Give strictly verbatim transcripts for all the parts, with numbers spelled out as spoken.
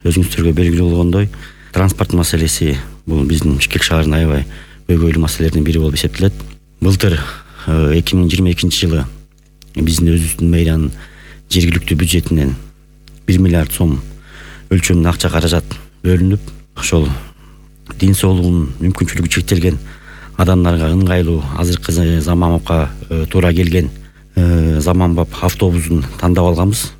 өзүңүздөргө белгилүү болгондой, транспорт маселеси бул биздин Бишкек шаарынын аябай көйгөйлүү маселелердин бири болуп эсептелет. Былтыр эки миң жыйырма экинчи жылы биздин өзүбүздүн мэриянын жергиликтүү бюджетинен бир миллиард сом өлчөмүндө акча каражат бөлүнүп, ошол ден соолугунун мүмкүнчүлүгү чектелген адамдарга ыңгайлуу азыркы заманга туура келген заманбап автобустун тандап алганбыз.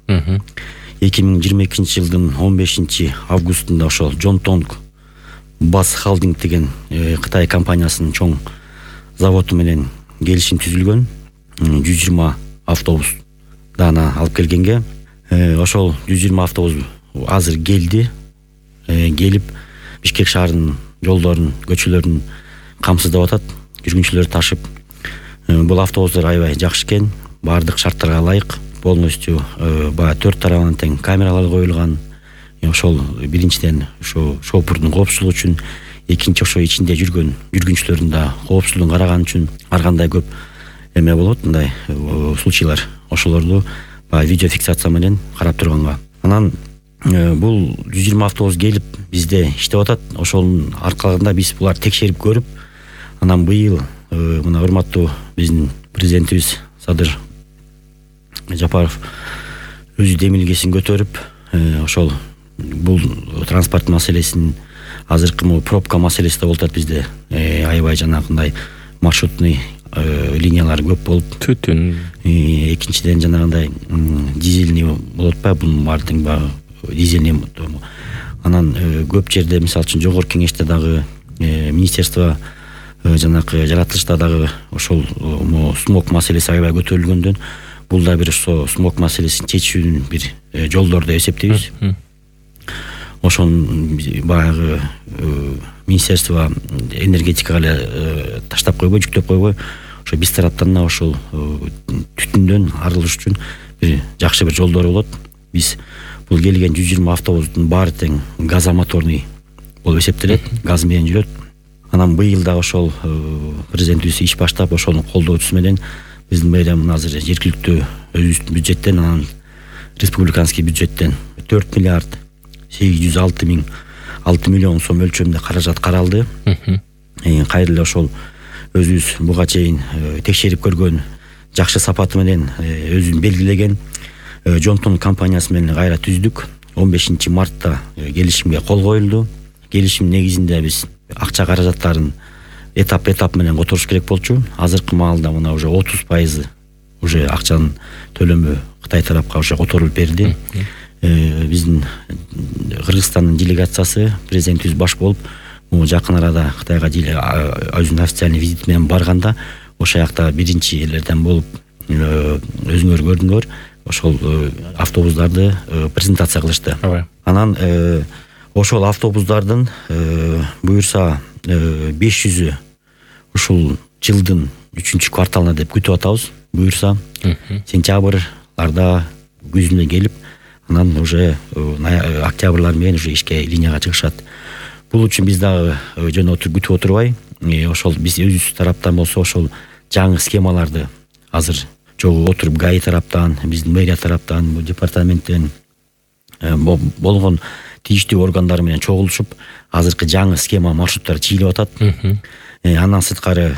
эки миң жыйырма экинчи жылдын он бешинчи августунда ошол Жонтонг Бас Халдинг деген Кытай компаниясынын чоң заводу менен келишим түзүлгөн. жүз жыйырма автобус даана алып келгенге, ошол жүз жыйырма автобус азыр келди. Келип Бишкек шаарынын жолдорун, көчөлөрүн камсыздап атат, жүргүнчүлөр ташып. Бул автобустар аябай жакшы экен, баардык шарттарга ылайык, полностью баягы төрт тарабынан тең камералар коюлган. Ошол биринчиден ошо шофурдун коопсуздугу үчүн, экинчи ошо ичинде жүргөн жүргүнчүлөрдүн да коопсуздугун караган үчүн ар кандай көп эме болот, мындай случайлар. Ошолорду баягы видео фиксация менен карап турганга. Анан бул жүз жыйырма автобус келип бизде иштеп атат. Ошонун аркалыгында биз булар текшерип көрүп, анан быйыл мына урматтуу биздин президентибиз Садыр Жапаров өзү демилгесин көтөрүп, ошол бул транспорт маселесин, азыркы могу пробка маселеси да болуп атат бизде. Аябай жанагындай маршрутный линиялар көп болуп, түтүн. Экинчиден жанагындай дизельный болуп атпайбы, бунун баардыгы баягы дизельный. Анан көп жерде, мисалы үчүн жогорку кеңеште дагы, министерство жанагы жаратылышта дагы ошол смог маселеси аябай көтөрүлгөндөн, бул да бир ошо смог маселесин чечүүнүн бир жолдору деп эсептейбиз. Ошон баягы министерство энергетикага эле таштап койбой, жүктөп койбой, ошо биз тараптан да ошол түтүндөн арылыш үчүн бир жакшы бир жолдор болот. Биз бул келген жүз жыйырма автобустун баары тең газомоторный болуп эсептелет, газ менен жүрөт. Анан быйыл да ошол президентибиз иш баштап, ошонун колдоочусу менен биздин мэриянын азыр жергиликтүү өзүбүздүн бюджеттен, анан республиканский бюджеттен төрт миллиард сегиз жүз алты миң алты миллион сом өлчөмүндө каражат каралды. Кайра эле ошол өзүбүз буга чейин текшерип көргөн жакшы сапаты менен өзүн белгилеген Жонтонг компаниясы менен кайра түздүк. он бешинчи мартта келишимге кол коюлду. Келишим негизинде биз акча каражаттарын этап-этап менен которуш керек болчу. Азыркы маалда мына уже отуз пайызы уже акчанын төлөмү Кытай тарапка уже которулуп берди. Биздин Кыргызстандын делегациясы президентибиз баш болуп, жакын арада Кытайга өзүнүн официальный визит менен барганда, ошол жакта биринчи элерден болуп өзүңөр көрдүңөр, ошол автобустарды презентация кылышты. Анан ошол автобустардын буюрса беш жүзү ушул жылдын үчүнчү кварталына деп күтүп атабыз. Буюрса сентябрларда күзүнө келип, анан уже октябрлар менен уже ишке линияга чыгышат. Бул үчүн биз дагы жөн отуруп күтүп отурбай, ошол биз өзүбүз тараптан болсо ошол жаңы схемаларды азыр жогу отуруп ГАИ тараптан, биздин мэрия тараптан, департаменттен болгон тийиштүү органдар менен чогулушуп, азыркы жаңы схема маршруттар чийилип атат. Андан сырткары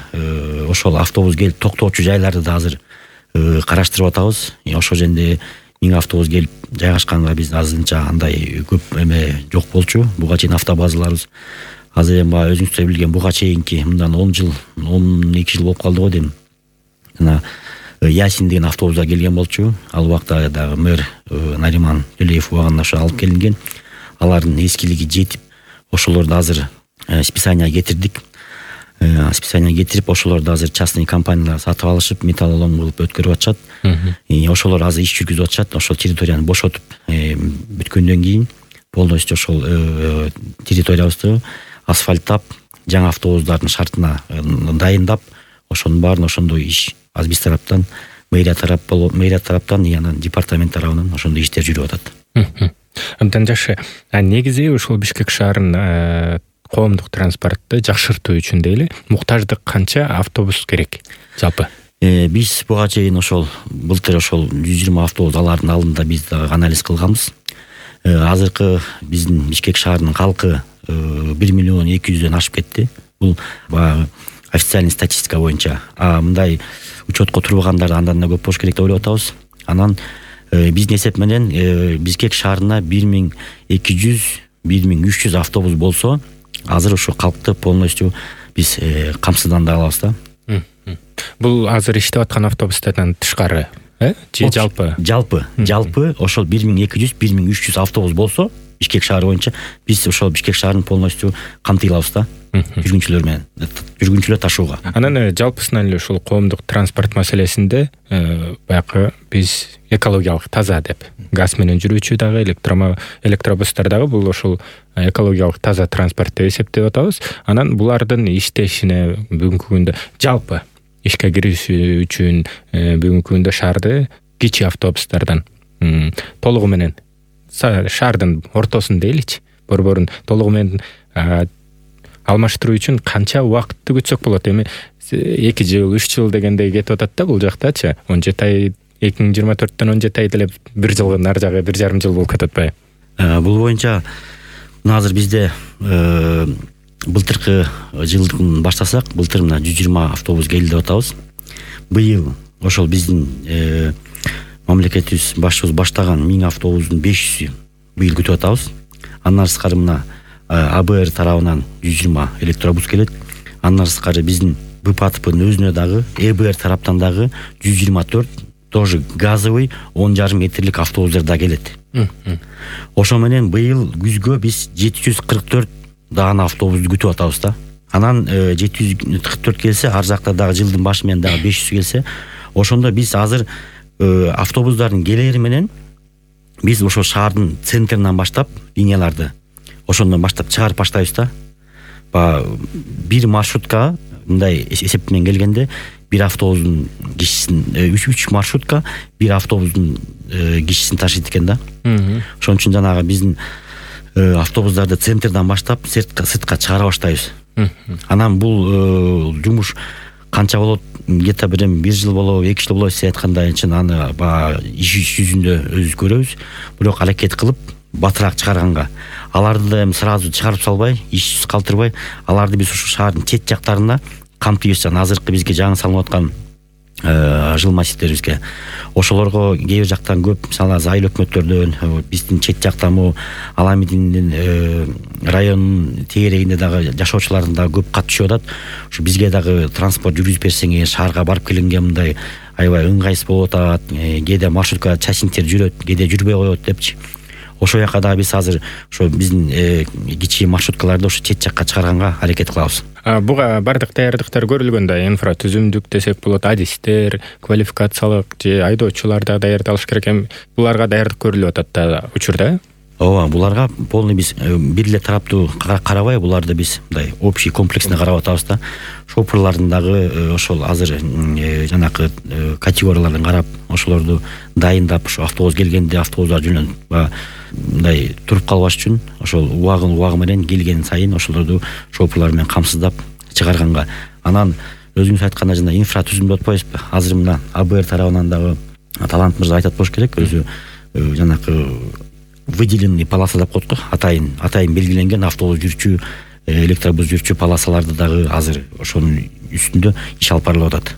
ошол автобус келип токтоочу жайларды да азыр караштырып атабыз. Ошол жерде миң автобус келип жайгашканга биз азырынча андай көп эме жок болчу. Буга чейин автобазаларыбыз азыр эми баягы өзүңүздөр билген буга чейинки мындан он жыл, он эки жыл болуп калды го дейм. Жана Ясин деген автобуста келген болчу. Ал убакта дагы мэр Нариман Төлеев убагында ошо алып келинген. Алардын эскилиги жетип, ошолорду азыр списание кетирдик. Списание кетирип, ошолорду азыр частный компаниялар сатып алышып, металлолом кылып өткөрүп атышат. Ошолор азыр иш жүргүзүп атышат. Ошол территорияны бошотуп бүткөндөн кийин полностью ошол территориябызды асфальттап, жаңы автобустардын шартына дайындап, ошонун баарын ошондой иш аз биз тараптан, мэрия тарап болуп, мэрия тараптан, анан департамент тарабынан ошондой иштер жүрүп атат. Абдан жакшы. Негизи ушул Бишкек шаарынын коомдук транспортты жакшыртуу үчүн дейли, муктаждык канча автобус керек жалпы? Биз буга чейин ошол былтыр ошол жүз жыйырма автобус алардын алдында биз дагы анализ кылганбыз. азыркы биздин Бишкек шаарынын калкы бир миллион эки жүздөн ашып кетти. Бул баягы официальный статистика боюнча. А мындай учетко турбагандар андан да көп болуш керек деп ойлоп атабыз. Анан биздин эсеп менен Бишкек шаарына бир миң эки жүз бир миң үч жүз автобус болсо, азыр ошо калкты полностью биз камсыздандыра алабыз да. Бул азыр иштеп аткан автобустардан тышкары, э? Же жалпы? Жалпы, жалпы ошол бир миң эки жүз бир миң үч жүз автобус болсо, Бишкек шаары боюнча биз ошол Бишкек шаарын полностью камтый алабыз да. Жүргүнчүлөр менен, жүргүнчүлөр ташууга. Анан жалпысынан эле ушул коомдук транспорт маселесинде баягы биз экологиялык таза деп, газ менен жүрүүчү дагы электробустар дагы бул ошол экологиялык таза транспорт деп эсептеп атабыз. Анан булардын иштешине бүгүнкү күндө жалпы ишке кириши үчүн бүгүнкү күндө шаарды кичи автобустардан толугу менен шаардын ортосун дейличи, борборун толугу менен алмаштыруу үчүн канча убакытты күтсөк болот? Эми эки жыл, үч жыл дегендей кетип атат да бул жактачы. он жети ай, эки миң жыйырма төрттөн он жети ай деле бир жылга нар жагы бир жарым жыл болуп кетип атпайбы? Бул боюнча азыр бизде былтыркы жылдын баштасак, былтыр мына жүз жыйырма автобус келди деп атабыз. Быйыл ошол биздин мамлекетибиз башчыбыз баштаган миң автобустун беш жүзү быйыл күтүп атабыз. Андан сырткары мына А Б Р тарабынан жүз жыйырма электробус келет. Андан сырткары биздин Б П А Т П'нын өзүнө дагы Э Б Р тараптан дагы жүз жыйырма төрт тоже газовый он жарым метрлик автобустар да келет. Ошо менен быйыл күзгө биз жети жүз кырк төрт даана автобусту күтүп атабыз да. Анан жети жүз кырк төрт келсе, ар жакта дагы жылдын башы менен дагы беш жүз келсе, ошондо биз азыр автобустардын келери менен биз ошо шаардын центринен баштап линияларды ошондон баштап чыгарып баштайбыз да. Бир маршрутка мындай эсеп менен келгенде бир автобустун кишисин үч маршрутка бир автобустун кишисин ташыйт экен да. Ошон үчүн жанагы биздин автобустарды центрден баштап сыртка чыгара баштайбыз. Анан бул жумуш канча болот? Где-то бир бир жыл болобу, эки жыл болобу, сиз айткандай чын аны иш жүзүндө өзүбүз көрөбүз. Бирок аракет кылып батыраак чыгарганга, аларды эми сразу чыгарып салбай, ишсиз калтырбай, аларды биз ушу шаардын чет жактарына камтыйбыз. Азыркы бизге жаңы салынып аткан жыл массивдерибизге ошолорго кээ бир жактан көп, мисалы Айыл өкмөттөрдөн, биздин чет жактан бу Аламидиндин районунун тегерегинде дагы жашоочулардын дагы көп кат түшүп атат. Ушу бизге дагы транспорт жүргүзүп берсеңер, шаарга барып келгенге мындай аябай ыңгайсыз болуп атат, кээде маршрутка частниктер жүрөт, кээде жүрбөй коет депчи. Ошо жака дагы биз азыр ошо биздин кичи маршруткаларды ошо чет жакка чыгарганга аракет кылабыз. Буга бардык даярдыктар көрүлгөн да, инфратүзүмдүк десек болот, адистер, квалификациялык же айдоочулар да даярдалыш керек. Эми буларга даярдык көрүлүп атат да учурда. Ооба, буларга полный биз бир эле тараптуу карабай, буларды биз мындай общий комплексно карап атабыз да. Шоферлардын дагы ошол азыр жанакы категорияларын карап, ошолорду дайындап, ошо автобус келгенде автобустар жөнөтүп мындай туруп калбаш үчүн ошол убагын убагы менен келген сайын ошолорду шоферлар менен камсыздап чыгарганга. Анан өзүңүз айткандай жана инфратүзүм деп атпайбызбы? Азыр мына А Б Р тарабынан дагы Талант мырза айтат болуш керек, өзү жанакы выделенный полоса деп коет го, атайын атайын белгиленген автобус жүрчү, электробус жүрчү полосаларды дагы азыр ошонун үстүндө иш алып барылып атат.